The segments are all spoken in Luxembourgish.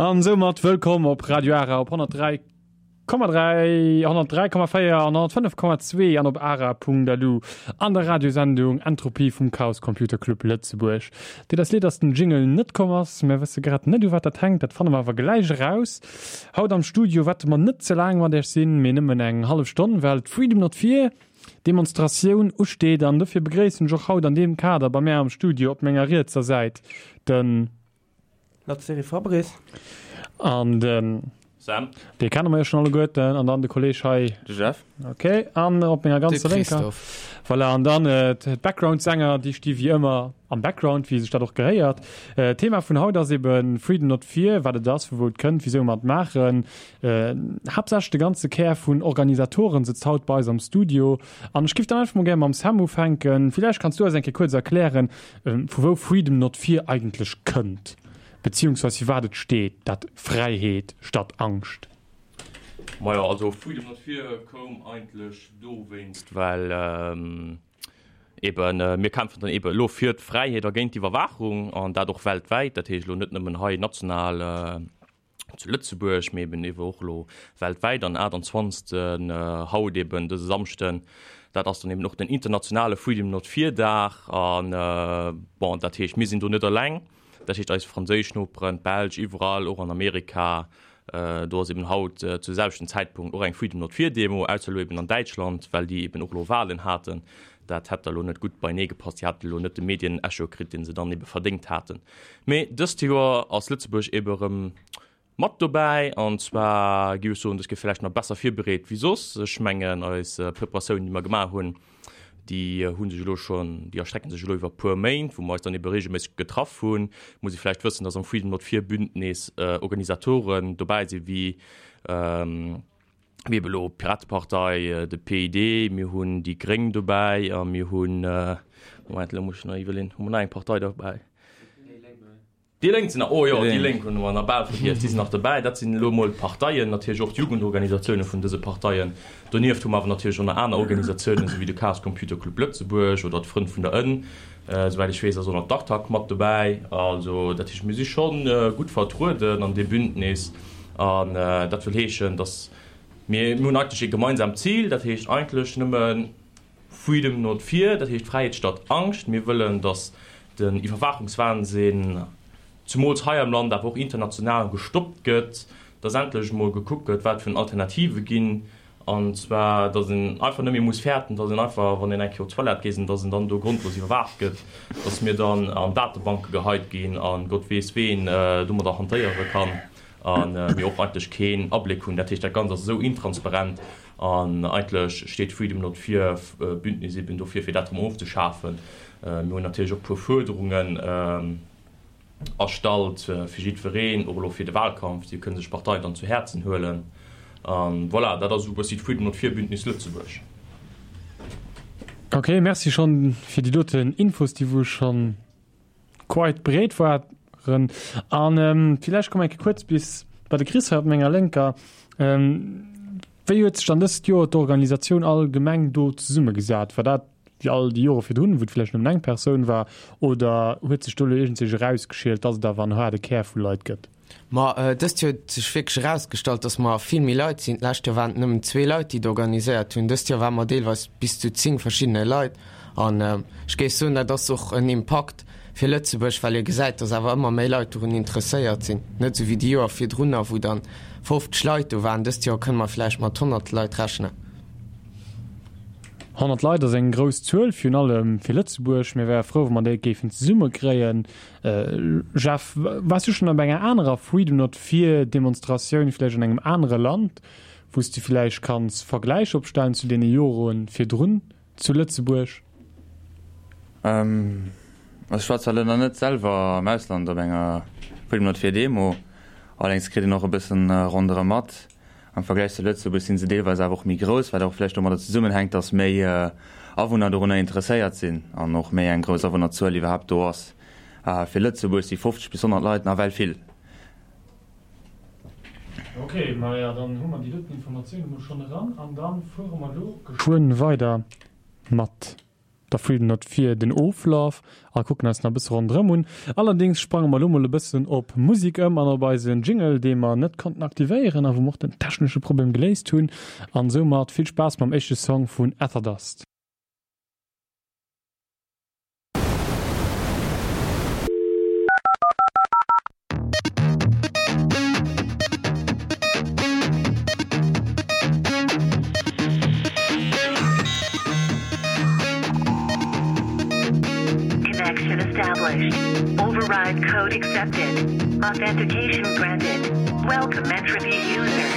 An soumat wëllkomm op Radio Ara op 103,3, 103,4 an 105,2 an op ara.lu an der Radiosendung Entropie vum Chaos Computer Club Lëtzebuerg. Deet eis leed, dass den Jingle net komm ass. Mär wësse grad net u wat dat hänkt, dat fanne mer awer gläich eraus. Haut am Studio wäerte mer net ze laang mat iech sinn, mee nëmmen eng hallef Stonn, well d'Freedom Not Fear Demonstratioun usteet an dofir begréissen ech och haut an deem Kader bei mär am Studio op menger rietser Säit den. Lazzeri Fabrice. An den. Sam. Dee kenne mer jo schonn alleguerten. An dann de Kolleg hei. De Jeff. Ok, an op menger ganzer De lénker. Christophe. Voilà, an dann d'Background-Sänger, déi sti wéi ëmmer am Background, wéi sech dat och gehéiert. D'Thema vun haut ass ebe Freedom Not Fear, wat et ass, vu wou et kënnt, wisou mer et maachen. Haaptsächlech de ganze Kär vun Organisatoren sëtzt haut bei eis am Studio. An ech giff dann einfach mol gär mam Sam ufänken. Villäicht kanns du eis eng Kéier kuerz erklären, vu wou Freedom Not Fear eigentlech kënnt, beziehungsweis fir wat et steet, dat Fräiheet statt Angscht. Majo, also Freedom Not Fear koum eigentlech dowéinst, well eben mir kämpfen dann eben elo fir d'Fräiheet a géint d'Iwwerwaachung, an dat och weltwäit, dat heescht elo net nëmmen hei national, zu Lëtzebuerg, mee eben ewe och elo weltwäit an 28. Haut eben dëse Samschden, dat ass dann eben och den internationale Freedom Not Fear Dag an bon, dat heescht mir sinn do net eleng, dat heescht eis franséisch Noperen, d'Belsch, iwwerall och an Amerika, do ass eben haut zu selwechten Zäitpunkt och eng Freedom Not Fear Demo, ausser elo eben an Däitschland, well déi eben och elo Walen haten, dat hätt da elo net gutt beinee gepasst, déi haten elo net de Medienecho kritt, dee se dann ebe verdéngt haten. Mee dëst Joer ass Lëtzebuerg ebe erëm mat dobäi an zwar géif ech soen, dës Kéier vläicht nach besser virbereet wéi soss. Ech mengen eis Preparatiounen, déi mer gemaach hunn, déi hu sech elo schonn, déi erstrecken sech elo iwwer e puer Méint, wou mer eis dann ebe reegelméisseg getraff hunn. Muss ee vläicht wëssen, datt am Freedom Not Fear Bündnis Organisatoren dobäi si wéi, wéi ebe elo d'Piratepartei, de PID, mir hunn déi Gréng dobäi a mir hunn, Moment, elo muss ech nach iwwerleeën, hu mer nach eng Partei dobäi? Déi Lénk sinn nach, oh jo, déi Lénk hunn mer nach bal vergiess, déi sinn nach dobäi. Dat sinn elo emol d'Parteien, natierlech och d'Jugendorganisatiounen vun dëse Parteien. Donieft hu mer awer natierlech och nach aner Organisatiounen, esou wéi de Chaos Computer Club Lëtzebuerg oder d'Frënn vun der Ënn. Souwäit ech weess, ass och nach d'ACTAC mat dobäi. Also dat heescht, mir si scho gutt vertrueden an deem Bündnis. An dat wëll heeschen, datt mir, mir hunn eigentlech ee gemeinsaamt Zil, dat heescht eigentlech nëmme Freedom not fear, dat heescht Fräiheet statt Angscht. Mir wëllen, datt den Iwwerwaachungswahnsinn, zumools hei am Land, awer och international, gestoppt gëtt, datt endlech emol gekuckt gëtt, wat vun Alternative ginn, an zwar, datt een einfach net méi muss fäerten, datt een einfach, wann een eng Kéier op d'Toilette geet, datt een dann do grondlos iwwerwaacht gëtt, datt mir dann an Datebanke geheit ginn a Gott weess ween domadder hantéiere kann a mir och eigentlech keen Abléck hunn. Dat heescht, dat Ganzt ass esou intransparent an eigentlech steet Freedom Not Fear Bündnis eben dofir, fir dat erëm ofzeschafen. Mir hunn natierlech och e puer Fuerderungen. Erstallt fir jiddwereen, och elo fir de Wahlkampf, déi kënne sech d'Partei dann zu Häerzen huelen. An voilà, dat ass esou e bëssi d'Freedom Not Fear Bündnis Lëtzebuerg. Ok, merci schonn fir déi doten Infos, déi wou schonn quite breet waren. An villäicht komme mer eng Kéier kuerz bis bei de Chris hei op menger Lénker. Wéi huet sech dann dëst Joer d'Organisatioun allgemeng do zesummegesat? War dat wéi all déi Jore virdrun, wou et vläicht nëmmen eng Persoun war, oder huet sech do elo iergendsech erausgeschielt, dass et awer en haarde Kär vu Leit gëtt? Ma dëst Joer huet sech wierklech erausgestallt, dass mer vill méi Leit sinn. D'lescht Joer waren et nëmmen zwee Leit, déi et organiséiert hunn. Dëst Joer ware mer deelweis bis zu 10 verschiddene Leit. An ech géif soen, dat ass och en Impakt fir Lëtzebuerg, well ee gesäit, dass awer ëmmer méi Leit dorun interesséiert sinn. Net esou wéi déi Joer virdrunner, wou dann 50 Leit do waren. Dëst Joer kënne mer vläicht mat 100 Leit rechnen. 100 Leit ass eng grouss Zuel, virun allem fir Lëtzebuerg. Mir wäre frou, wa mer déi géifen zesummekréien. Jeff, waars du schonn op enger anerer Freedom Not Fear Demonstratioun, vläicht an engem anere Land, wou s de vläicht kanns Vergläich opstellen zu deene Jore virdrun zu Lëtzebuerg? Also ech war zwar elo nach net selwer am Ausland op enger Freedom Not Fear Demo, allerdéngs kritt een och e bëssen ronderëm mat. Am Vergläich zu Lëtzebuerg sinn se deelweis awer och méi grouss, wat och vläicht domadder zesummenhänkt, datt méi Awunner dorunner interesséiert sinn an och méi eng grouss Awunnerzuel iwwerhaapt do ass. Fir Lëtzebuerg si 50 bis 100 Leit nawell vill. Ok, maja dann hu mer déi doten Informatioun emol schonn eran an da fuere mer elo geschwënn weider mat. Der Freedom Not Fear den Oflaf a kucken eis nach e bësse ronderëm un. Allerdéngs sprange mer elo mol e bëssen op Musek ëm an op eisen Jingle, dee mer net konnten aktivéieren a wou mer och den technesche Problem geléist hunn. An soumat vill Spaass mam éischte Song vun Etherdust. Connection established. Override code accepted. Authentication granted. Welcome entropy user.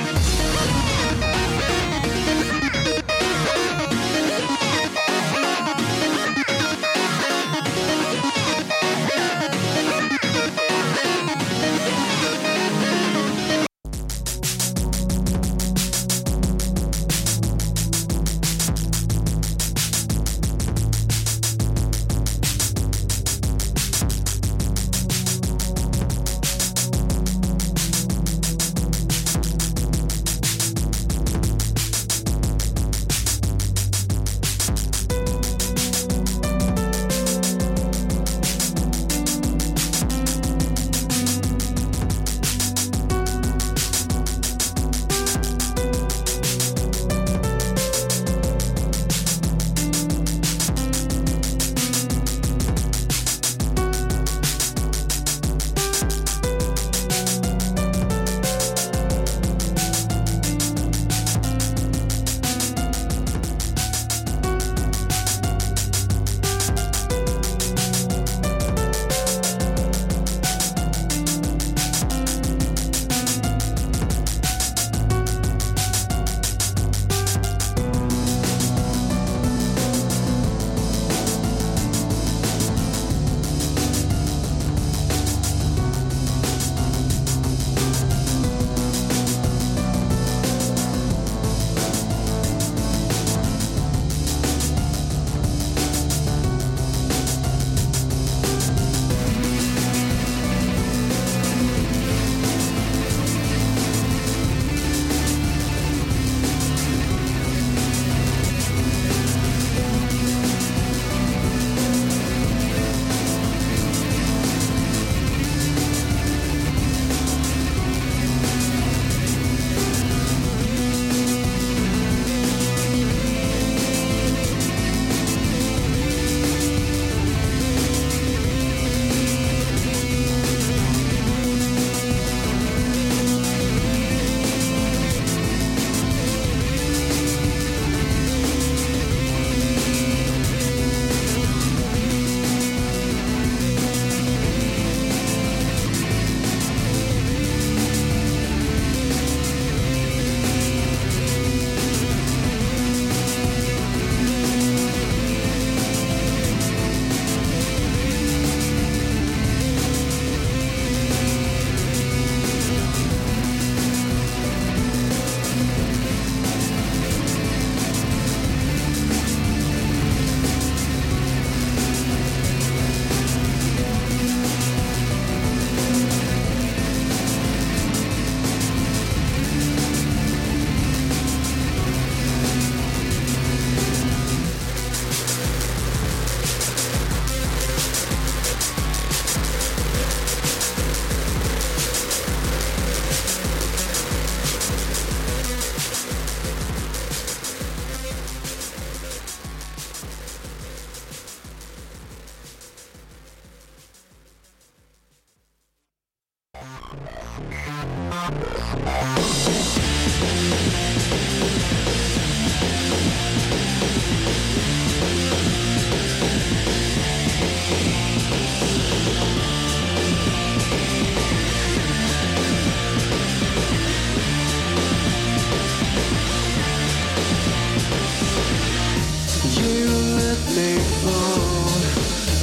You let me fall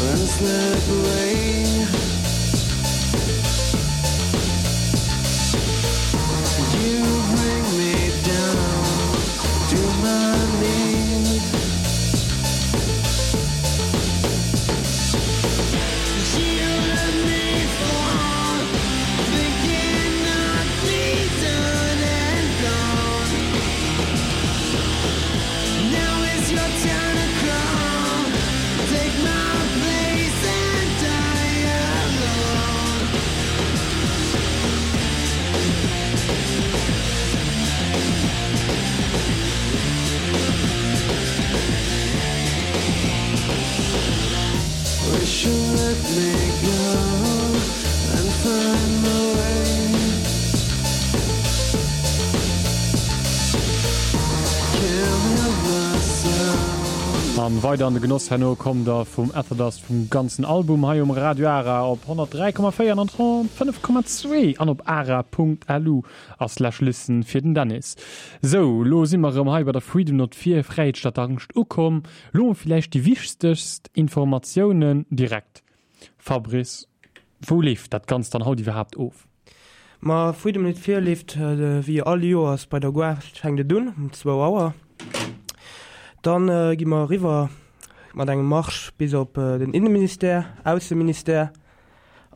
and slip away. You bring me down to my knees. An weider an de Genoss herno kommt der vum Etherdust vum ganzen Album hei um Radio Ara op 103,4 an 105,2 an op ara.lu a slash listen fir den Dennis. Sou, lo si mer erëm hei bei der Freedom Not Fear, Fräiheet statt Angscht ukomm. Lo villäicht déi wichtegst Informatiounen direkt. Fabrice, wou leeft dat Ganzt dann haut iwwerhaapt of? Ma Freedom Not Fear leeft wéi all Joers bei der Gare, fänkt et un um zwou Auer. Dann gi mer eriwwer mat engem Marsch bis op den Inneministère, Ausseministère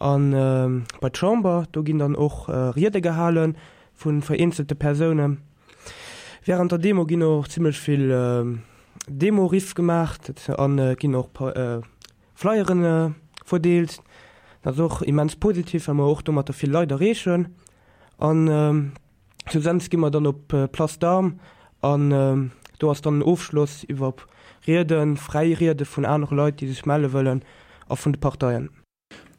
an bei d'Chamber. Do ginn dann och Riede gehale vu vereenzelte Persounen. Wärend der Demo ginn och zimmlech vill Demo-Riff gemaach an et ginn och Flyeren verdeelt. Dat ass och immens positiv, well mer och domatter vill Leit erreechen. An schlussendlech gi mer dann op d'Place d'Armes an do ass dann den Ofschloss iwwer Rieden, fräi Riede vun anere Leit, déi sech melle wëllen a vun de Parteien.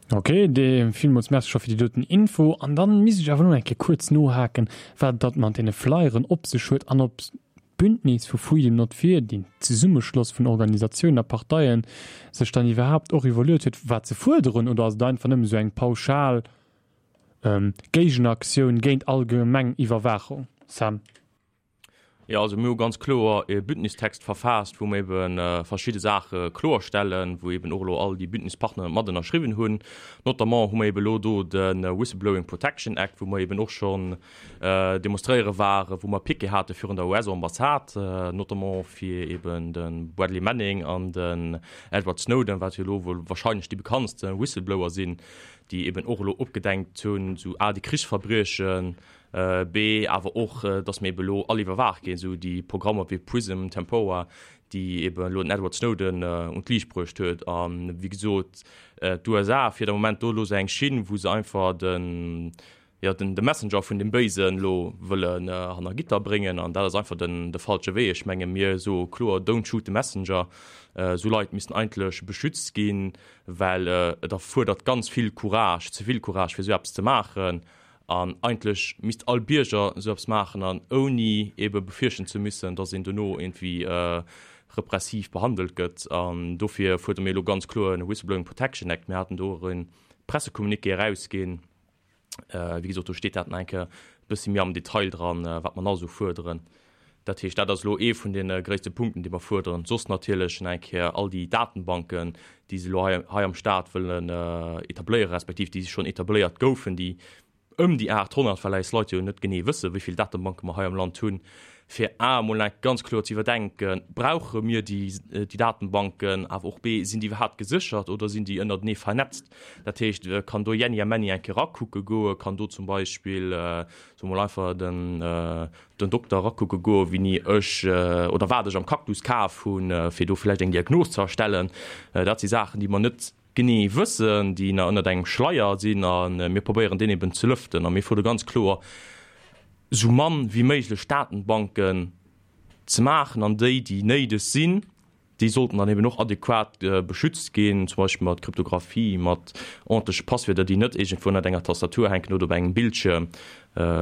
Ok, dee villmools Merci scho fir déi doten Info. An dann misst ech awer elo nach eng Kéier kuerz nohaken, wat dat mat deene Flyeren op sech huet an ob d'Bündnis vu Freedom Not Fear, deen Zesummeschloss vun Organisatiounen a Parteien, sech dann iwwerhaapt och iwwerluet huet, wat se fuerderen, oder ass et einfach nëmme sou eng pauschal Géigenaktioun géint allgemeng Iwwerwaachung? Sam. Jo, also mir hu ganz kloer e Bündnistext verfaasst, wou mir ebe verschidde Saache kloerstellen, wou eben och elo all déi Bündnispartner mat ënnerschriwwen hunn. Notamment hu mer eben elo do de Whistleblowing Protection Act, wou mer eben och schonn demonstréiere waren, wou mer Piquet hate virun der US-Ambassade, notamment fir eben de Bradley Manning an den Edward Snowden, wat jo elo wuel wahrscheinlech déi bekanntste Whistleblower sinn, déi eben och elo opgedenkt hunn, sou a déi Krichsverbriechen, B, awer och, dass mir ebe lo all iwwerwaacht ginn, esou déi Programmer wéi Prism, Tempora, déi ebe lo den Edward Snowden un d'Liicht bruecht huet. A wéi gesot, d'USA fiert am Moment do elo esou eng Schinn, wou se einfach den, jo, den, de Messenger vun dem Béisen elo wëllen hanner Gitter bréngen. An dat ass einfach den, de falsche Wee. Ech menge mir soe kloer, Don't shoot the messenger. Esou Leit missten eigentlech beschützt ginn, well et erfuerdert ganz vill Courage, ze vill Courage, fir esou eppes ze maachen. An eigentlech misst all Bierger esou eppes maachen an ouni eebe befürchten ze müssen, dass een dono iergendwéi repressiv behandelt gëtt. An dofir fuerdere mir elo ganz kloer en Whistleblowing Protection Act. Mir haten do och e Pressecommuniqué erausginn. Wéi gesot, do steet dat nach eng Kéier e bëssi méi am Detail dran, wat mer nach esou fuerderen. Dat heescht, dat ass elo ee vun deene gréisste Punkten, déi mer fuerderen. Soss natierlech nach eng Kéier all déi Datenbanken, déi se elo hei, hei am Stat wëllen etabléieren, respektiv déi schonn etabléiert goufen, déi ëm déi 800, well eis Leit jo net genee wëssen, wéi vill Datenbanke mer hei am Land hunn, fir a emol nach ganz kloer ze iwwerdenken, Brauche mir déi, déi Datenbanken? Awer och b, Sinn déi iwwerhaapt geséchert oder sinn déi ënnertenee vernetzt? Dat heescht, kann do Jenni a Menni eng Kéier erakucke goen? Kann do zum Beispill, soe mer mol einfach, den, den Dokter erakucke goen, wéini ech oder wat ech am Cactus kaf hunn, fir do vläicht eng Diagnos ze erstellen. Dat si Saachen, déi mer net genee wëssen, déi nach ënnert engem Schleier sinn a mir probéieren deen eben ze lëften. A mir fuerdere ganz kloer, esou mann wéi méiglech Datenbanken ze maachen an déi, déi néideg sinn, Déi sollten dann eben och adequat beschützt ginn, zum Beispill mat Kryptographie, mat ordentleche Passwierder, déi net iergendwou ënnert enger Tastatur hänken oder op engem Bildschierm,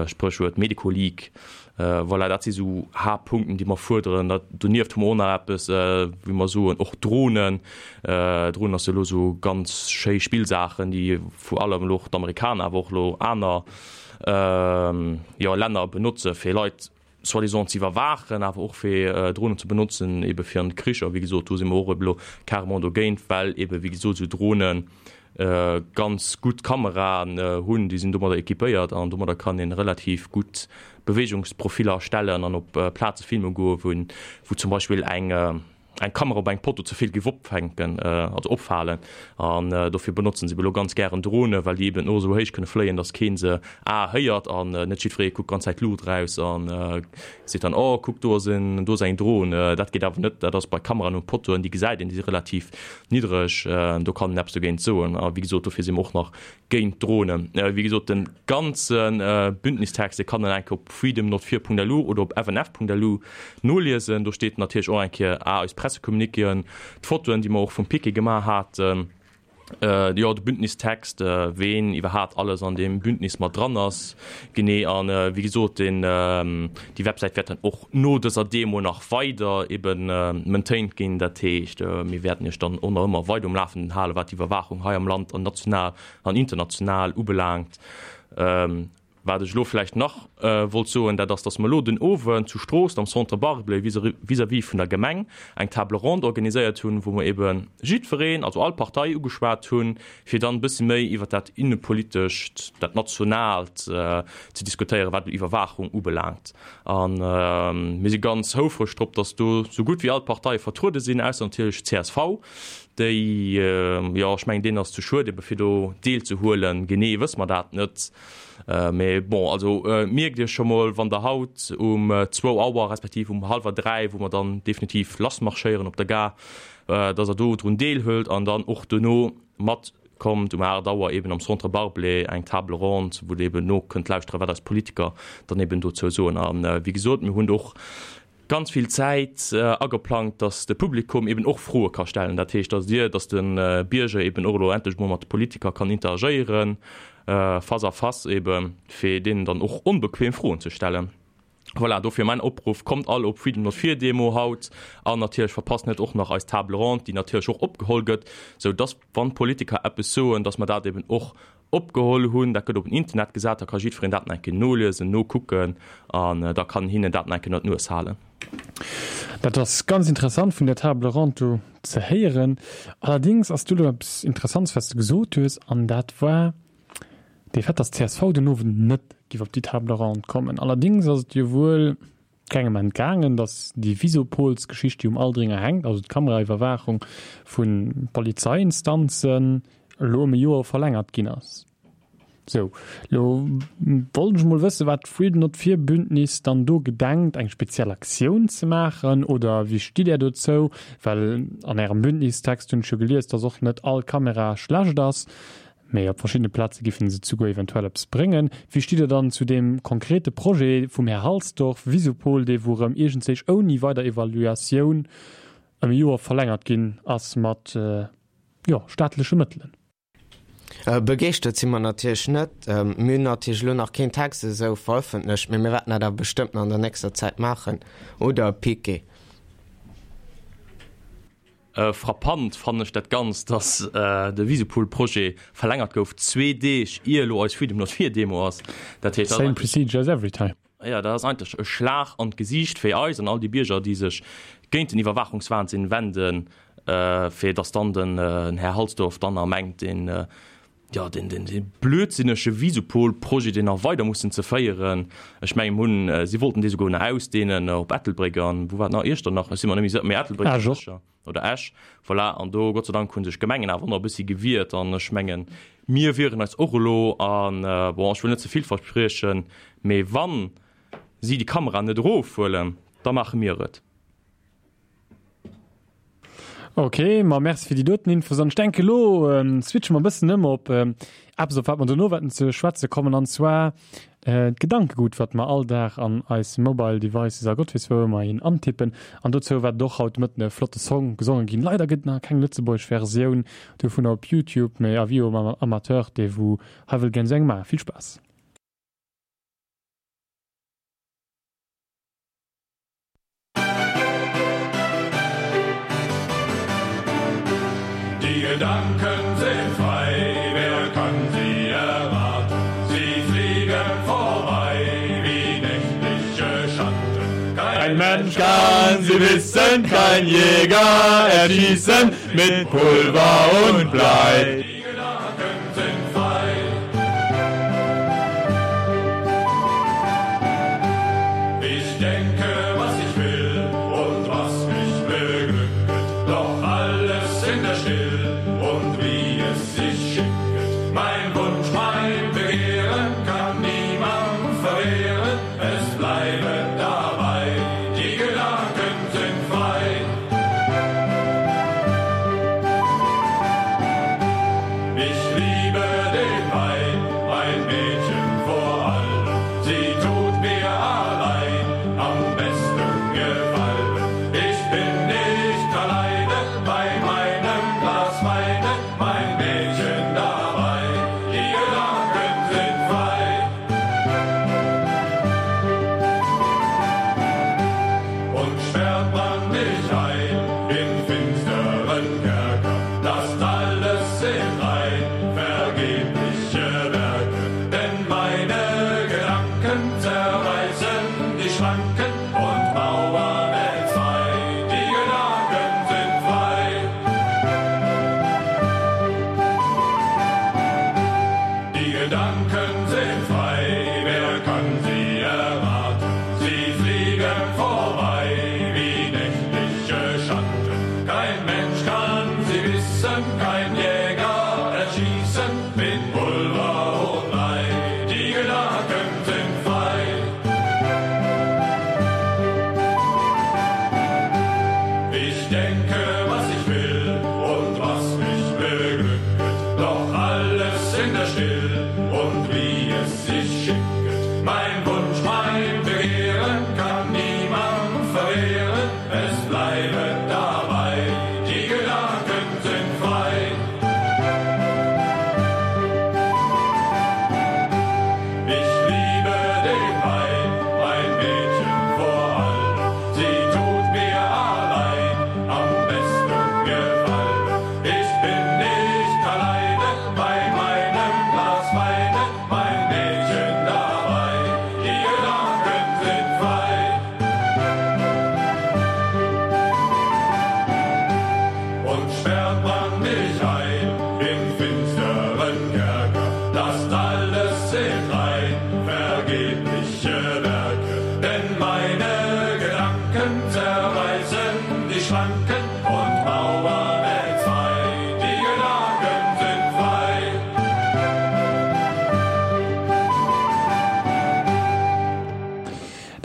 Spréchwuert Medico-Leak. Voilà, dat si sou Haaptpunkten, déi mer fuerderen. Donieft hu mer och nach eppes, wéi mer soen, och Dronen. Dronen ass jo elo sou ganz schéi Spillsaachen, déi vor allem elo och d'Amerikaner, awer och elo aner, jo, Länner benotze fir Leit, soi-disant ze iwwerwaachen, awer och fir Dronen ze benotzen ebe fir an Kricher. Wéi gesot, do si mer och ebe lo carrément dogéint, well ebe wéi gesot esou Drone ganz gutt Kameraen hunn, déi sinn domadder équipéiert an domadder kann ee relativ gutt Beweegungsprofiller erstellen an op Plaze filme goen, wou zum Beispill eng eng Kamera op engem Potto ze vill géif opfänken, also opfalen. An dofir benotzen se ebe lo ganz gären Dronen, well déi eben och esou héich kënne fléien, datt keen se a héiert an net jiddweree kuckt ganz Zäit d'Luucht eraus an seet dann, oh kuck do ass en, do ass eng Dron. Dat geet awer net, dat ass bei Kameraen um Pottoen, déi gesäit een, déi si relativ niddreg, do kann een eppes dogéint soen. A wéi gesot, dofir si mer och nach géint Dronen. Wéi gesot, de ganze Bündnistext, dee kann een eng Kéier op freedomnotfear.lu oder op fnf.lu noliesen. Do steet natierlech och eng Kéier a eis Pressecommuniquéen, d'Fotoen, déi mer och vum Piquet gemaach haten. Jo, de Bündnistext, ween iwwerhaapt alles an deem Bündnis mat dran ass, genee. An wéi gesot, deen, déi Websäit wäert dann och no dëser Demo nach weider eben maintained ginn. Dat heescht, mir wäerten Iech dann och nach ëmmer weider um Lafenden halen, wat d'Iwwerwaachung hei am Land an national an international ubelaangt. Wat ech elo vläicht nach wollt soen, dat ass, dass mer elo den Owend zu Stroossen am Centre Barblé vis-à-vis vun der Gemeng eng Table ronde organiséiert hunn, wou mer ebe jiddwereen, also all Partei ugeschwat hunn, fir dann e bësse méi iwwert dat Innepolitescht, dat Nationaalt ze diskutéieren, wat Iwwerwaachung ubelaangt. A mir si ganz houfreg drop, dass do sou gutt wéi all d'Parteie vertruede sinn, ausser natierlech csv. Déi, jo, ech mengen, deenen ass ze schued ebe fir do deelzehuelen. Genee wësse mer dat net. Mee bon, also mierkt Iech scho mol, wann Der haut um zwou Auer respektiv um hallwer 3, wou mer dann definitiv lassmarschéieren op der Gare, dass Der do drun deelhuelt an dann och dono matkommt um 8 Auer eben am Centre Barblé eng Table ronde, wou Der eben no kënnt lauschteren, wat eis Politiker dann eben dozou soen. A wéi gesot, mir hunn och ganz vill Zäit ageplangt, dass de Publikum eben och Froe ka stellen. Dat heescht, dass Dir, dass de Bierger eben och elo endlech emol mat de Politiker kann interagéieren, face à face eben, fir deenen dann och onbequem Froen ze stellen. Voilà, dofir mäin Opruff, Kommt all op Freedom Not Fear Demo haut an natierlech verpasst net och nach eis Table ronde, déi natierlech och opgeholl gëtt, sou dass, wann d'Politiker eppes soen, dass mer dat eben och Opgeholl hunn. Dat gëtt op den Internet gesat, da ka jiddwereen dat nach eng Kéier noliesen, nokucken an da kann hinnen dat nach eng Kéier no d'Nues halen. Dat ass ganz interessant vun der Table ronde do ze héieren. Allerdings ass do elo eppes Interessants, wat s de gesot hues, an dat war de Fait, dass csv den Owend net géif op déi Table ronde kommen. Allerdings ass et jo wuel kengem entgaangen, datt déi Visopolsgeschicht, déi um Aldringer hänkt, also d'Kameraiwwerwaachung vu Polizeiinstanzen, elo ëm e Joer verlängert ginn ass. Sou, elo wollt ech mol wëssen, wat d'Freedom Not Fear Bündnis dann do gedenkt, eng speziell Aktioun ze maachen, oder wéi stitt Där dozou? Well an Ärem Bündnistext hunn ech jo gelies, datt och net all Kamera schlecht ass. Mee op verschiddene Plaze giffen se zuguer eventuell eppes bréngen. Wéi stitt Der dann zu deem konkrete Projet vum Här Halsdorf, Visupol, dee wou erëm iergendzéich ouni weider Evaluatioun ëm e Joer verlängert ginn ass mat, jo, staatleche Mëttelen? Begeeschtert si mer natierlech net. Mir hunn natierlech elo nach keen Text esou verëffentlecht, mee mir wäerten dat awer bestëmmt nach an der nächster Zäit maachen, oder Piqué? Frappant fannen ech dat Ganzt, dass de Visupol-Projet verlängert gouf, zwee Deeg ier elo eis Freedom Not Fear Demo ass. Dat heescht, dat ass Same procedure as every time. Jo, dat ass eigentlech e Schlag an d'Gesiicht fir eis an all déi Bierger, déi sech géint den Iwwerwaachungswahnsinn wenden, fir dass dann den Här Halsdorf dann nach mengt, deen jo, deen, deen, dee blödsinnege Visupol-Projet, deen nach weider mussen ze féieren. Ech mengen, mir hunn, si wollten dee souguer nach ausdehnen op Ettelbréck an, wou war et nach, Iechternach, ech si mer net méi sécher, mee Ettelbréck Esch och. sécher, oder Esch, voilà. An do, Gott sei Dank, hu sech d'Gemengen awer och nach e bëssi gewiert an ech mengen, mir wieren eis och elo an, bon, ech wëll net ze vill verspriechen, mee wann si déi Kameraen net erofhuelen, da maache mir et. Ok, ma merci fir déi doten Infos. An ech denke lo switche mer e bëssen ëm op eppes, op wat mer dono wäerten ze schwätze kommen, an zwar d'Gedankegut, wat mer all Dag an eis Mobile Devices a Gott weess wou ëmmer hin antippen. An dozou wäert et och haut de Mëtten e flotte Song gesonge ginn. Leider gëtt et nach keng lëtzebuergesch Versioun dovunner op YouTube, mee avis aux amateurs, dee wou hei wëll gären esou eng maachen, vill Spaass! Die Gedanken sind frei, wer kann sie erwarten? Sie fliegen vorbei wie nächtliche Schatten. Kein Mensch kann sie wissen, kein Jäger erschießen mit Pulver und Blei. Die Gedanken sind frei. Ich denke, was ich will und was mich beglücket, doch alles in der Still und wie es sich schicket. Mein Wunsch, mein Begehren kann niemand verwehren, es bleibe dabei, die Gedanken sind frei.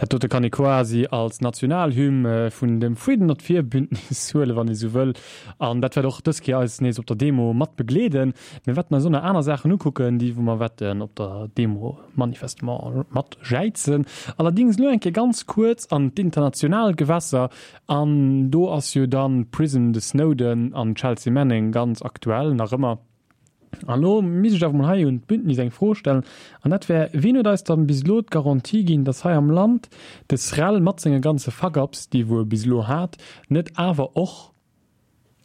Dat dote kann ee quasi als Nationalhymn vun dem Freedom Not Fear Bündnis huelen, wann ee sou wëll. An dat wäert och dës Kéier eis nees op der Demo mat begleeden. Mir wäerten eis och nach aner Saachen ukucken, déi wou mer wäerten op der Demo manifestement mat jäizen. Allerdings elo eng Kéier ganz kuerz an d'international Gewässer. An do ass jo dann Prism, de Snowden an d'Chelsea Manning ganz aktuell nach ëmmer. An elo misst ech awer mol hei un d'Bündnis eng Fro stellen, an dat wär, Wien huet eis dann bis elo d'Garantie ginn, dass hei am Land de SREL mat senge ganze Fuck-ups, déi wou e bis elo hat, net awer och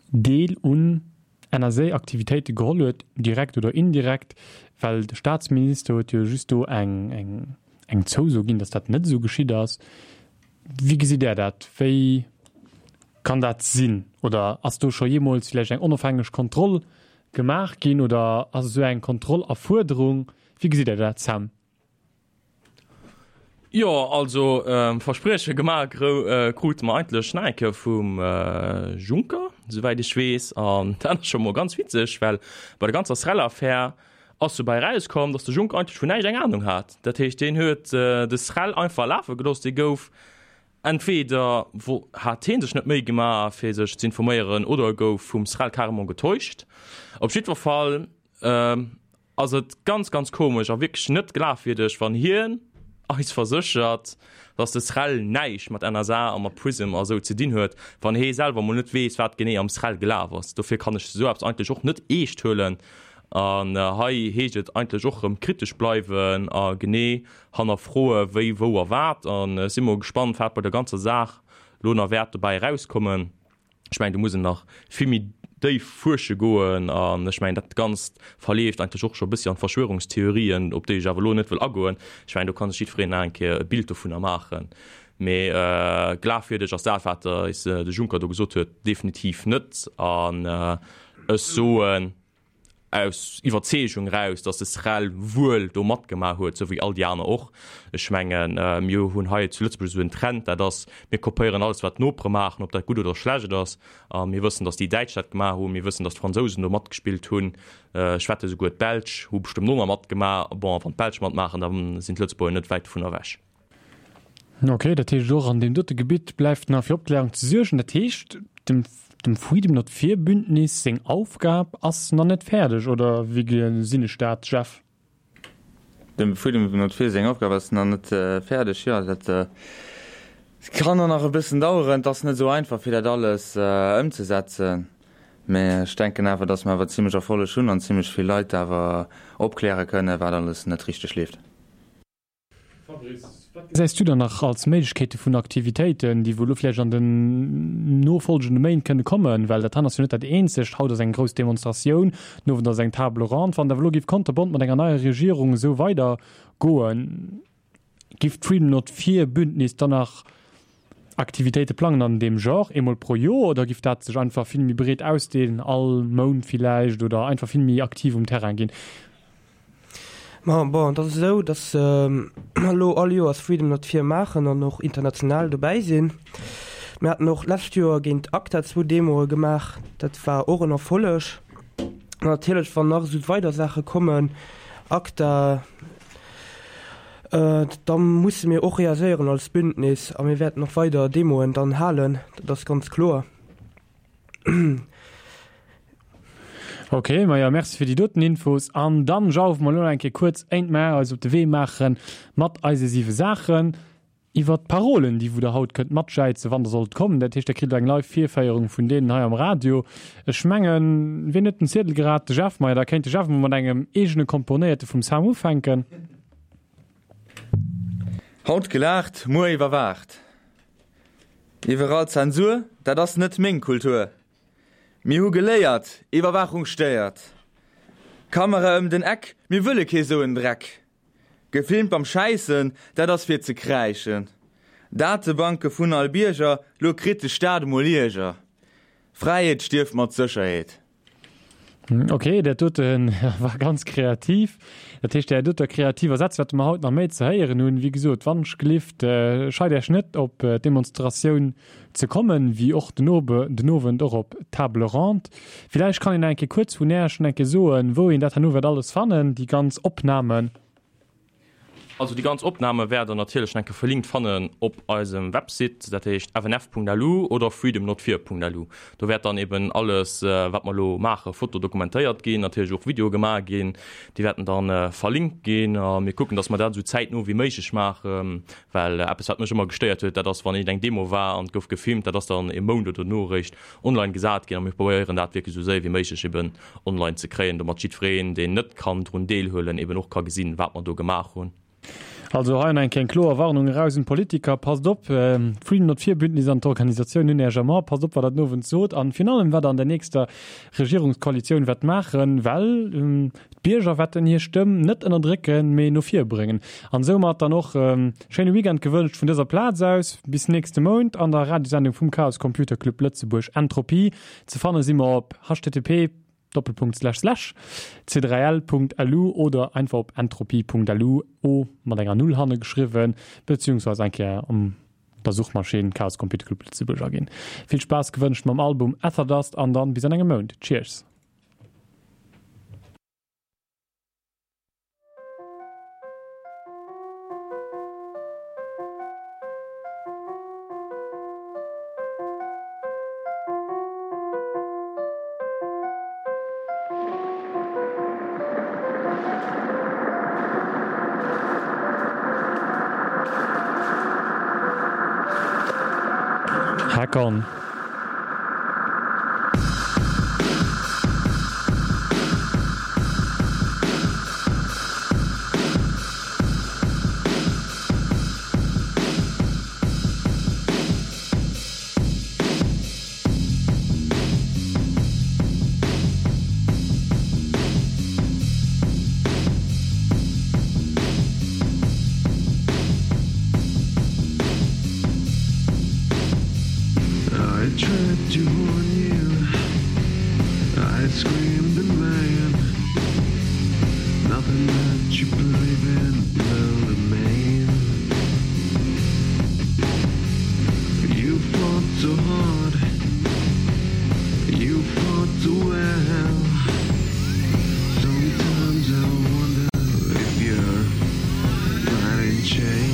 Deel un NSA-Aktivitéite geholl huet, direkt oder indirekt? Well de Staatsminister huet jo just do eng, eng, eng Zouso ginn, dass dat net esou geschitt ass. Wéi gesitt Där dat? Wéi kann dat sinn? Oder ass do scho jeemools vläicht eng onofhängeg Kontroll gemaach ginn oder ass esou eng Kontroll a Fuerderung? Wéi gesitt Där dat, Sam? Jo, also Versprieche gemaach krute mer eigentlech nach eng Kéier vum Juncker, souwäit ech weess. An dat ass scho mol ganz witzeg, well bei der ganzer SREL-Affär ass dobäi erauskomm, datt de Juncker eigentlech vun näischt eng Anung hat. Dat heescht, deen huet de SREL einfach lafe gelooss. Dee gouf entweder hat hee sech net d'Méi gemaach, fir sech z'informéieren, oder e gouf vum SREL carrément getäuscht. Op jiddwer Fall ass et ganz ganz komesch a wierklech net glafwierdeg, wann hien eis verséchert, dass de SREL näischt mat NSA a mat Prism a sou ze dinn huet, wann hee selwer mol net weess, wat genee am SREL gelaf ass. Dofir kann ech esou eppes eigentlech och net eescht huelen. An hei heescht et eigentlech och erëm kritesch bleiwen a genee hannerfroe wéi, wou a wat. An ech si mol gespannt, wat bei der ganzer Saach lo nach wäert dobäi erauskommen. Ech mengen, do muss een nach vill méi déif fuersche goen. An ech mengen, dat Ganzt verleeft eigentlech och scho e bëssi an d'Verschwörungstheorien, op déi ech awer elo net wëll agoen. Ech mengen, do ka sech jiddwereen nach eng Kéier e Bild dovunner maachen. Mee glafwierdeg ass dat, wat eis de Juncker do gesot huet, definitiv net. An ech soen, aus Iwwerzeegung eraus, datt de SREL wuel do matgemaach huet, esou wéi all déi aner och. Ech mengen, mir hunn hei zu Lëtzebuerg esou en Trend, dat ass, mir kopéieren alles, wat d'Nopere maachen, ob dat gutt oder schlecht ass. A mir wëssen, datt déi Däitsch dat gemaach hunn, mir wëssen, datt d'Fransousen do matgespillt hunn, ech wette souguer d'Belsch hu bestëmmt och nach matgemaach. Bon, a wann d'Belsch matmaachen, da sinn d'Lëtzebuerger net wäit dovun ewech. Ok, dat heescht och an deem dote Gebitt bleift nach fir Opklärung ze suergen. Dat heescht, dem dem Freedom Not Fear Bündnis seng Aufgab ass nach net fäerdeg, oder wéi gesinn ech dat, Jeff? Dem Freedom Not Fear seng Aufgab ass nach net fäerdeg, jo. Dat kann och nach e bëssen daueren. Et ass net esou einfach fir dat alles ëmzesetzen, mä ech denken awer, datt mer awer zimlech Erfolleg hunn an zimlech vill Leit awer opkläre kënnen, wat alles net richteg leeft. Fabrice, wat gesäis du dann nach als Méiglechkeete vun Aktivitéiten, déi wou elo vläicht an den nofolgende Méint kënne kommen? Well dat han ass jo net dat eenzegt. Haut ass eng grouss Demonstratioun, den Owend ass eng Table ronde. Wann et awer elo géif konterbont mat enger neier Regierung esou weider goen, giff d'Freedom Not Fear Bündnis dann nach Aktivitéite plangen an deem Genre, eemol pro Joer, oder giff dat sech einfach vill méi breet ausdeelen, all Mount villäicht, oder einfach vill méi aktiv um Terrain ginn? Ma bon, et ass esou, datt mer elo all Joers Freedom Not Fear maachen an och international dobäi sinn. Mir haten och d'lescht Joer géint ACTA zwou Demoe gemaach, dat war och en Erfolleg. An natierlech, wann nach esou weider Saache kommen, ACTA, da musse mir och reagéieren als Bündnis a mir wäerten och weider Demoen dann halen, dat ass ganz kloer. Ok, maja merci fir déi doten Infos. An dann jaufe mer elo eng Kéier kuerz éint mer eis op de Wee maache mat eise siwe Saachen iwwert d'Parolen, déi wou der haut kënnt matjäizen, wann der sollt kommen. Dat heescht, der kritt elo eng live Virféierung vun deenen hei am Radio. Ech mengen, wien huet den Ziedel grad? De Jeff. Maja, da kéint de Jeff emol mat engem eegene komponéierte vum Sam ufänken. Haut gelaacht, muer iwwerwaacht. Iwwerall Zensur, dat ass net meng Kultur. Mir hu geléiert, Iwwerwaachung stéiert. Kamera ëm den Eck, mir wëlle kee sou en Dreck. Gefilmt beim Schäissen, dat ass fir ze kräischen. Datebanke vun all Bierger, lo kritt de Staat emol Ierger. Fräiheet stierft mat Sécherheet. Ok, dat dote war ganz kreativ. Dat heescht, där doter kreativer Sätz wäerte mer haut nach méi ze héieren hunn. Wéi gesot, wannschgelift, scheit Iech net, op d'Demonstratioun ze kommen, wéi och den Owend och op d'Table ronde. Villäicht kann een nach eng Kéier kuerz vun Äech schon eng Kéier soen, wou een dat herno wäert alles fannen, déi ganz Opnamen. Also déi ganz Opname wäert der natierlech nach eng Kéier verlinkt fannen op eisem Website, dat heescht fnf.lu oder freedomnotfear.lu. Do wäert dann eben alles wat mer elo maachen, Foto dokumentéiert ginn, natierlech och Videoe gemaach ginn, déi wäerten dann verlinkt ginn a mir kucken, datt mer dat esou zäitno wéi méiglech maachen, well eppes wat mech ëmmer gestéiert huet, dat ass wann iergendeng Demo war an et gouf gefilmt, dat ass dann e Mount oder dono eréischt online gesat ginn a mir probéieren dat wierklech esou séier wéi méiglech eben online ze kréien, domat jiddwereen, deen net kann drun deelhuelen, eben och ka gesinn, wat mer do gemaach hunn. Also hei nach eng Kéier eng kloer Warnung eraus un d'Politiker, Passt op, d'Freedom Not Fear Bündnis an d'Organisatioun hunn Äech am A, passt op, wat Der den Owend sot an virun allem, wat Der an der nächster Regierungskoalitioun wäert maachen, well d'Bierger wäerten hir Stëmm net ënnerdrécken, mee no vir bréngen. An soumat dann och schéine Weekend gewënscht vun dëser Plaz aus. Bis nächste Mount an der Radiosendung vum Chaos Computer Club Lëtzebuerg Entropie. Ze fanne si mer op http Doppelpunkt Slash Slash c3l.lu oder einfach op entropie.lu, o mat enger Null hanne geschriwwen, beziehungsweise eng Kéier an der Suchmaschinn Chaos Computer Club Lëtzebuerg aginn. Vill Spaass gewënscht mam Album Etherdust an dann bis an engem Mount. Cheers! Hack on. I tried to warn you. I screamed and ran. Nothing that you believe in will remain. You fought so hard. You fought so well. Sometimes I wonder if you're fighting chain.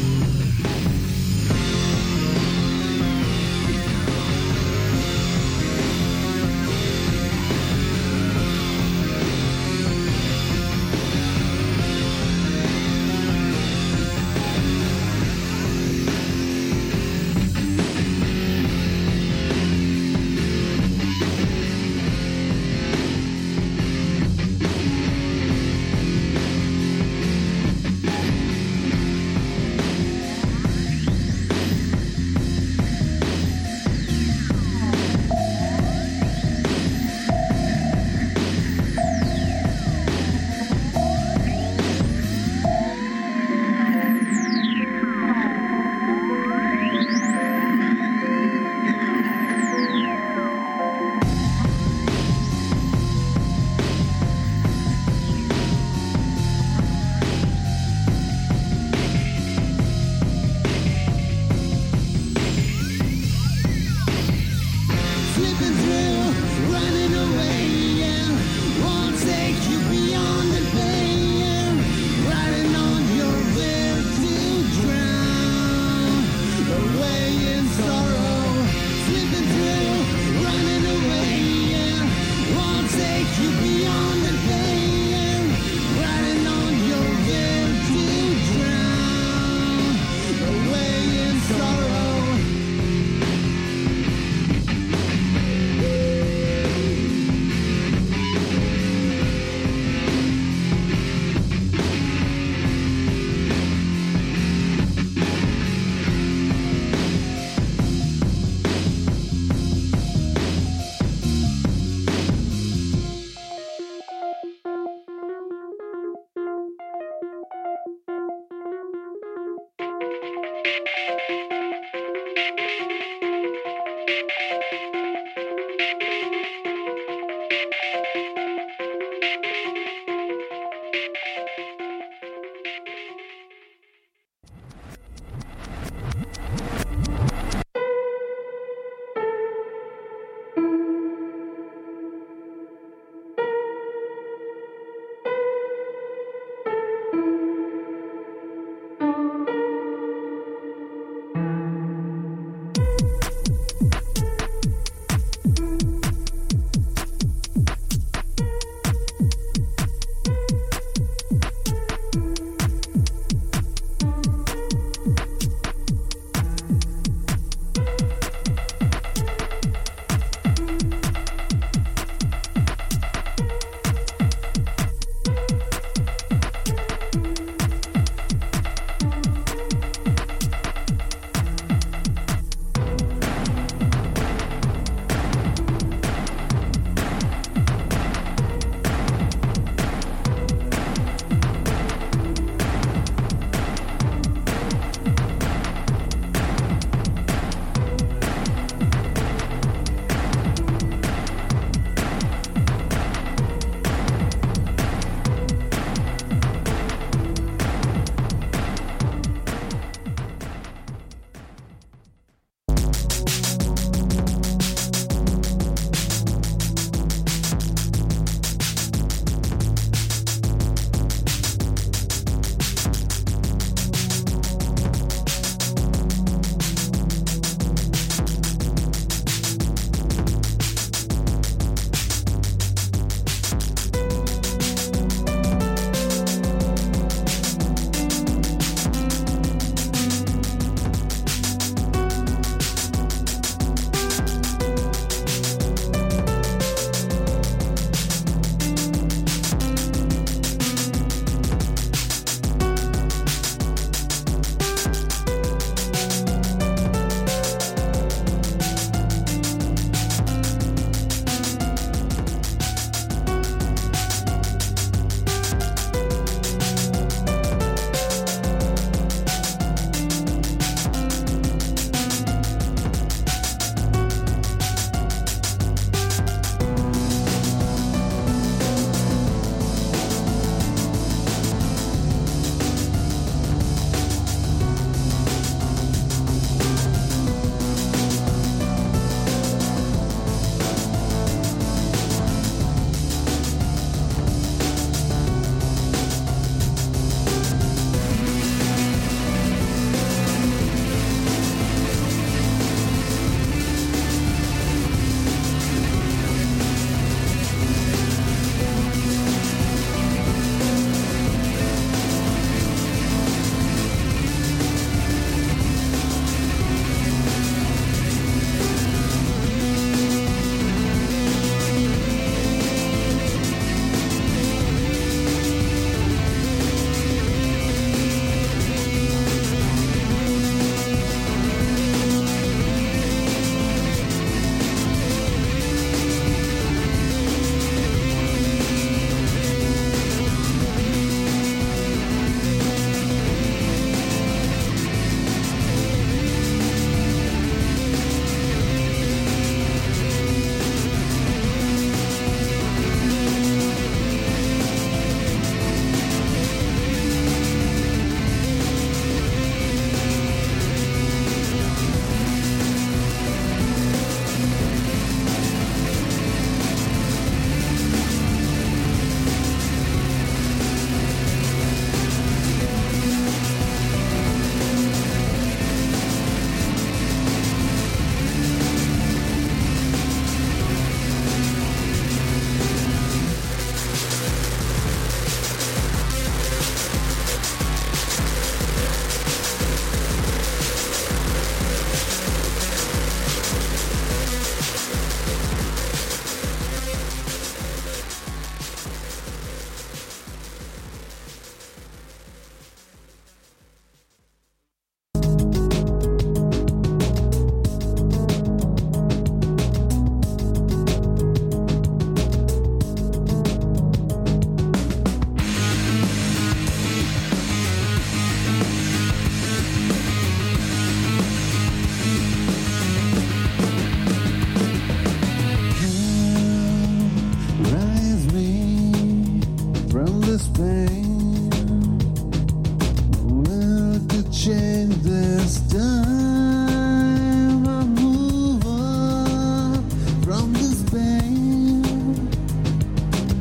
change this time. I move on from this pain.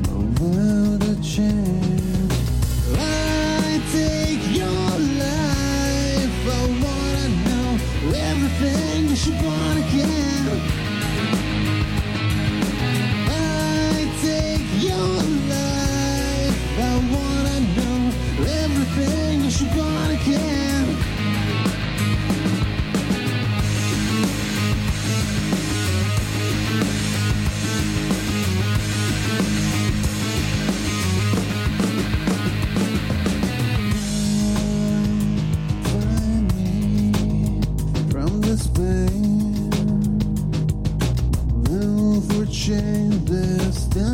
I will to change. I take your life. I wanna know everything you should want again. I take your life. I wanna know everything you should want again. Find me from this pain. Will for change this time.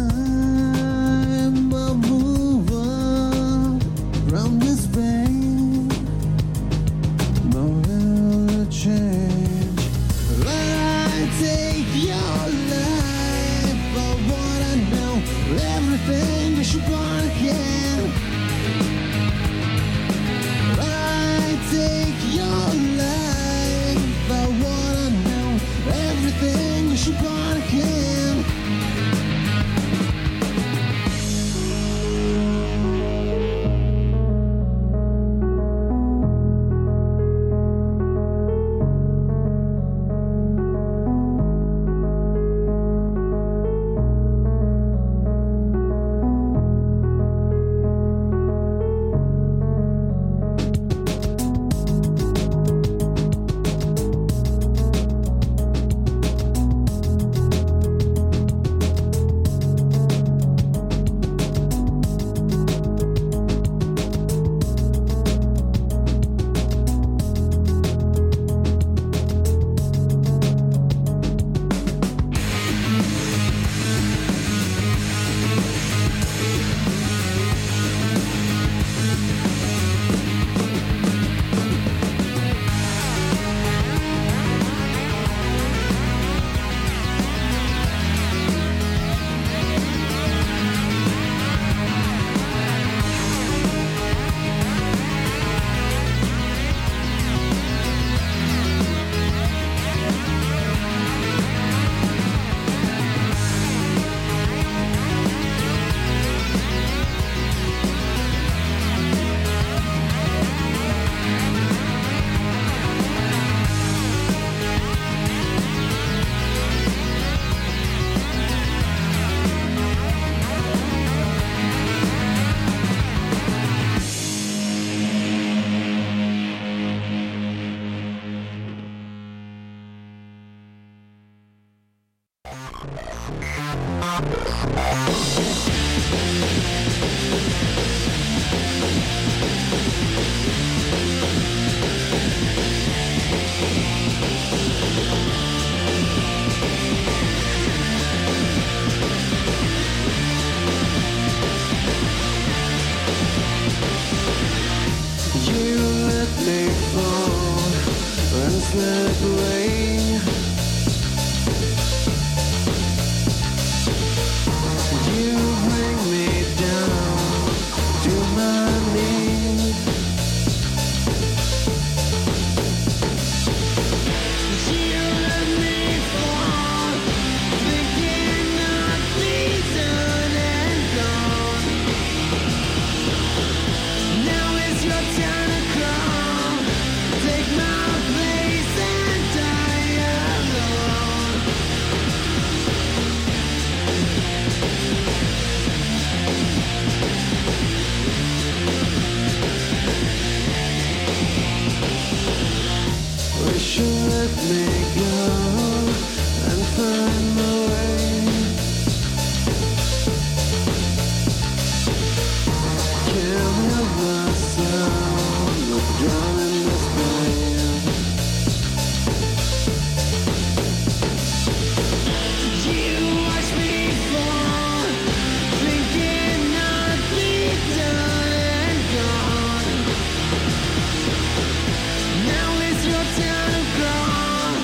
I move on from this pain. No will to change. I take your life. I wanna know everything you should want again. I take your life. I wanna know everything you should want again. You let me fall and slip away. You bring me down to my knees. You let me fall, thinking I'd be done and gone. Now it's your turn to crawl. Take my place and die alone. Wish you let me go and find my way. Can't help myself, I'm drowning this pain. You watch me fall, thinking I'd be done and gone. Now it's your turn to crawl.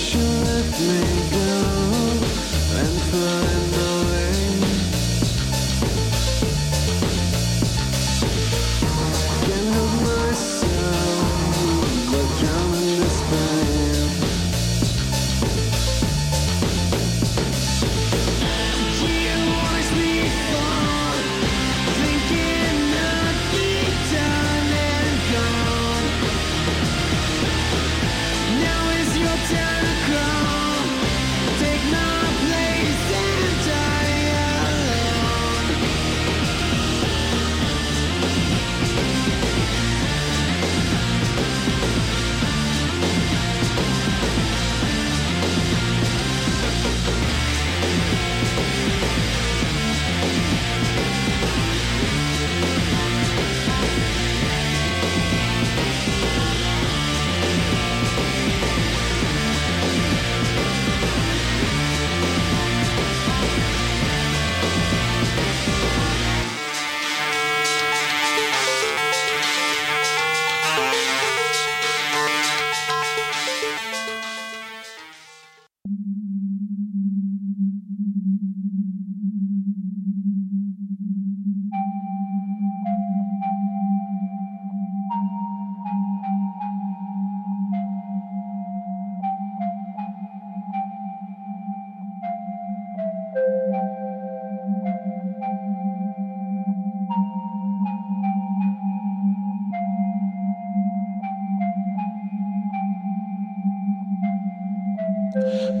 Wish you let me go and find my way. Can't help myself, but drown in this pain. You always be gone, thinking I'd be done and gone. Now is your time to crawl. Take my place and die alone.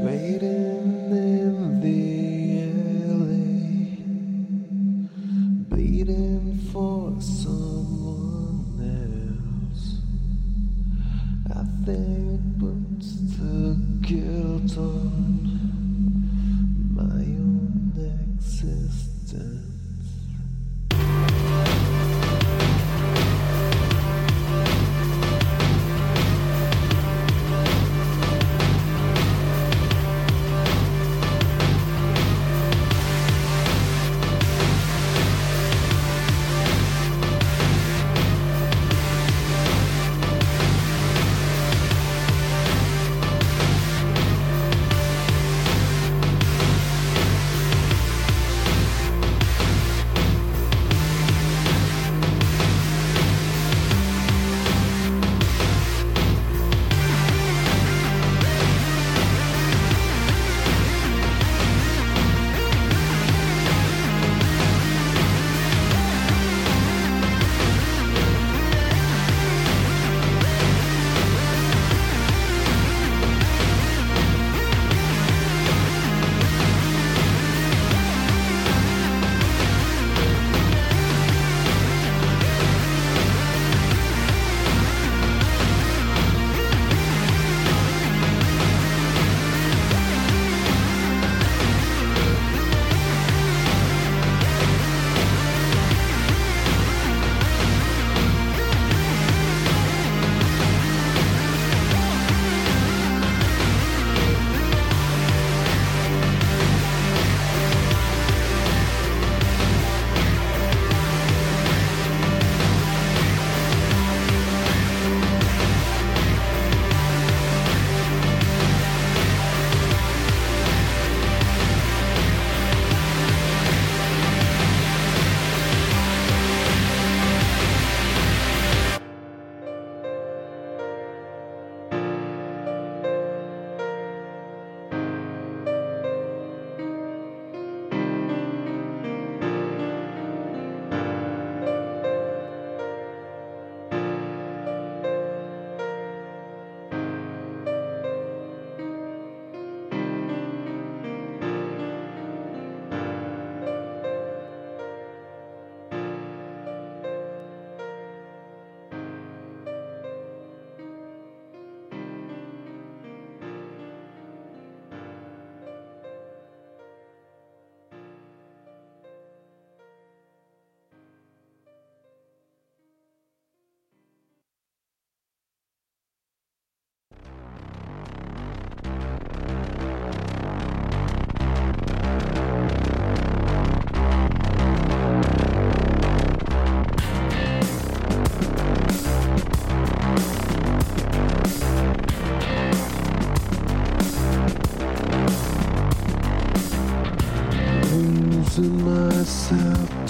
Waiting in the alley, bleeding for someone else. I think puts the guilt on my own existence.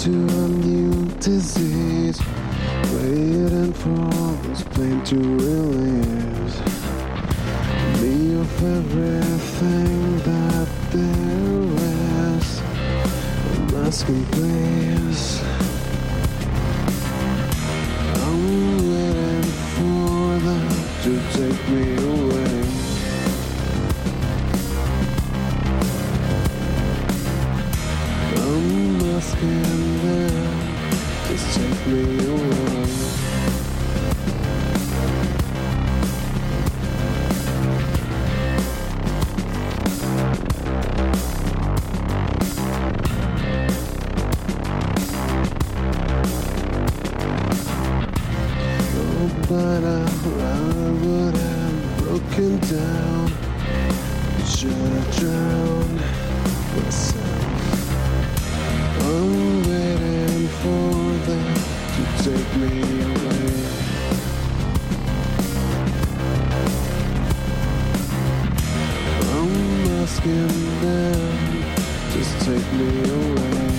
to a new disease. Waiting for this plane to release me of everything that there is. I'm asking, please. I'm waiting for them to take me away. I'm asking them just take me away. Oh, but I, I would have broken down. Should have drowned myself. I'm waiting for them to take me away. I'm asking them, just take me away.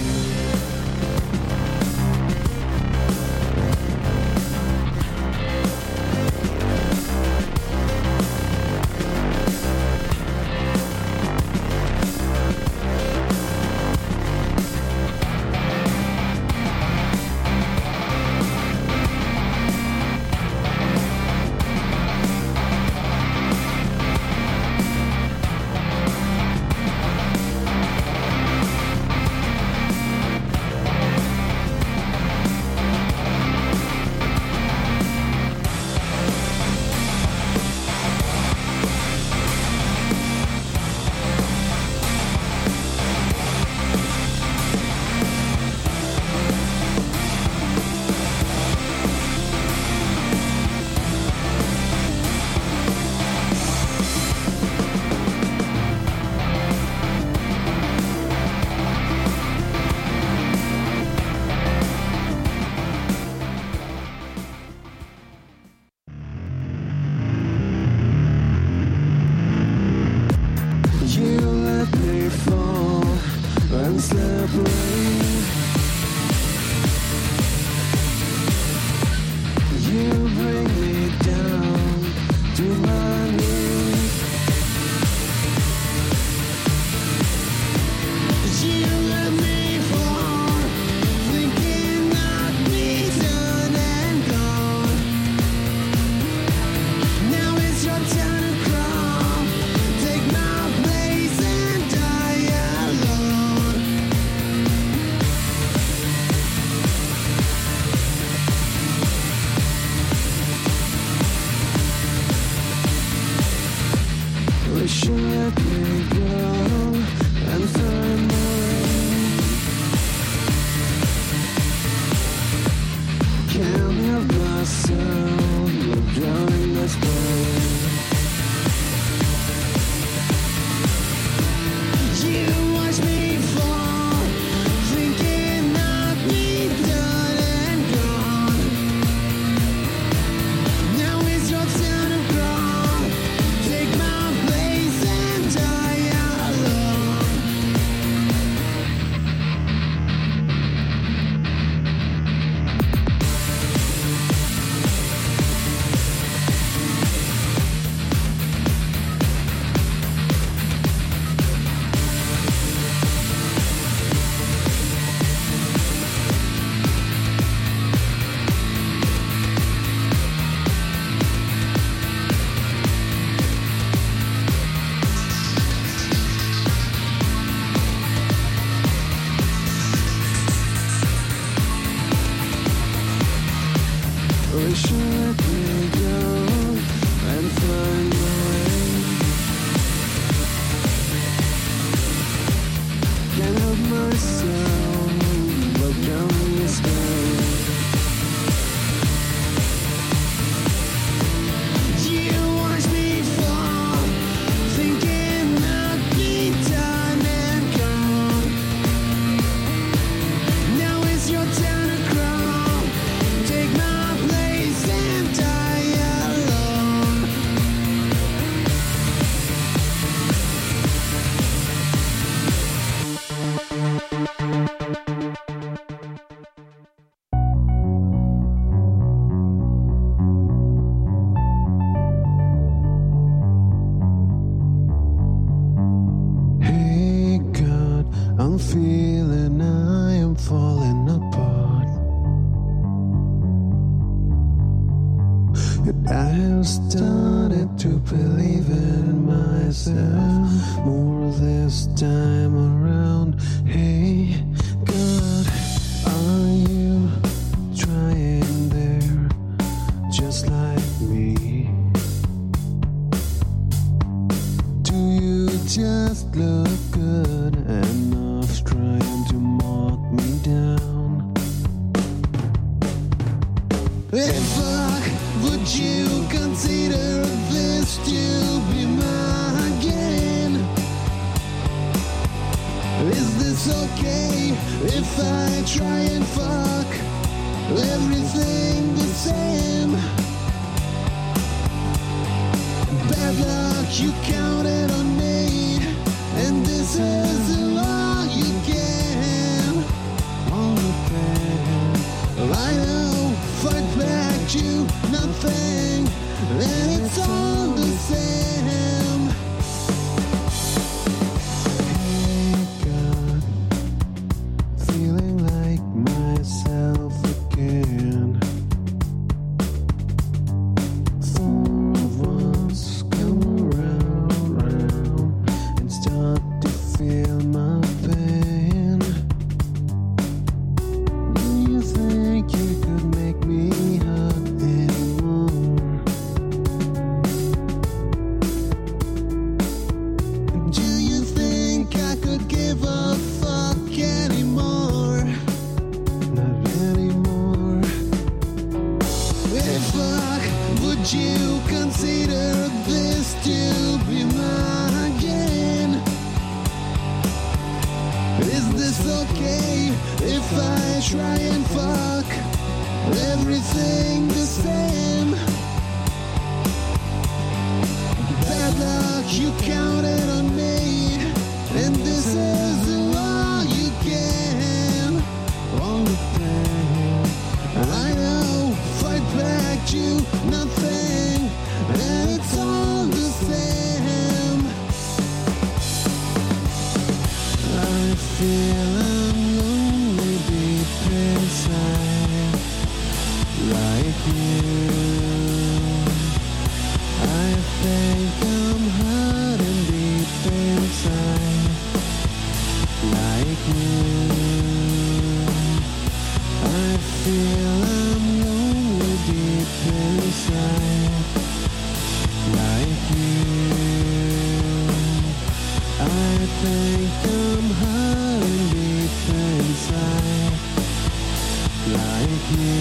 And I have started to believe in myself more this time around. Hey, God, are you trying there just like me? Do you just look good enough trying to mark me down? Hey fuck, would you consider this to be my game? Is this okay if I try and fuck everything the same? Bad luck, you counted on me, and this is all you can. All the pain, I know, fight back to nothing, and it's all the same. Hey God, feeling like myself again. For once, come around, round, and start to feel my pain. Do you think you could make me hurt anymore? Do you think I could give a fuck anymore? Not anymore. Hey fuck, would you consider this to be my game? Is this okay if I try and fuck everything the same? Bad luck, you counted on me, and this is all you can. All the pain, I know, fight back to nothing, and it's all the same. I feel I'm lonely deep inside, like you. I think I'm hurting deep inside, like you. I feel I'm lonely deep inside, like you. I think I'm hurting deep inside, like you.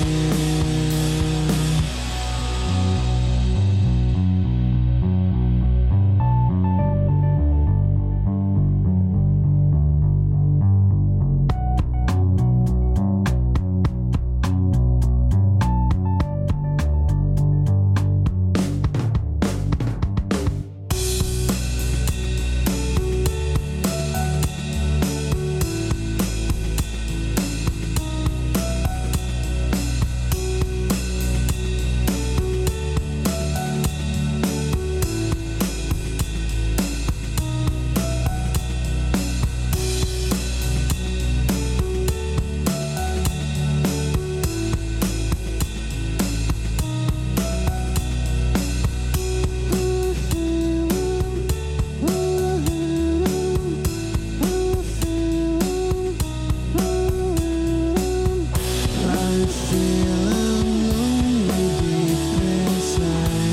I feel I'm lonely deep inside, like you.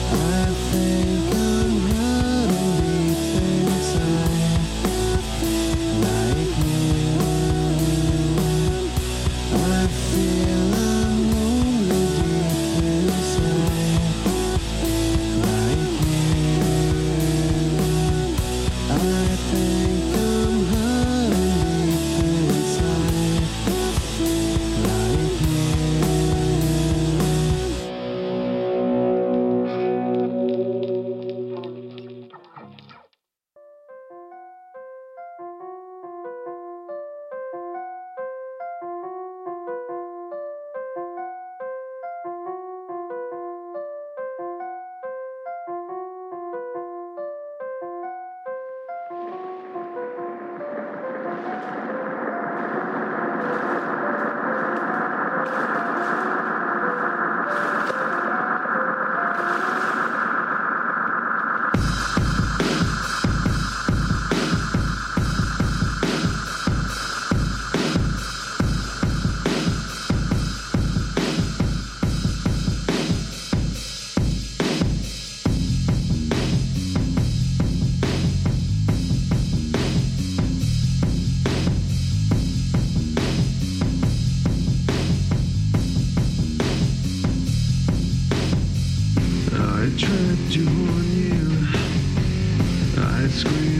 I think I'm hurting deep inside, like you. I feel I'm lonely deep inside, like you. I think I'm hurting deep inside, like you. had to warn you. I scream.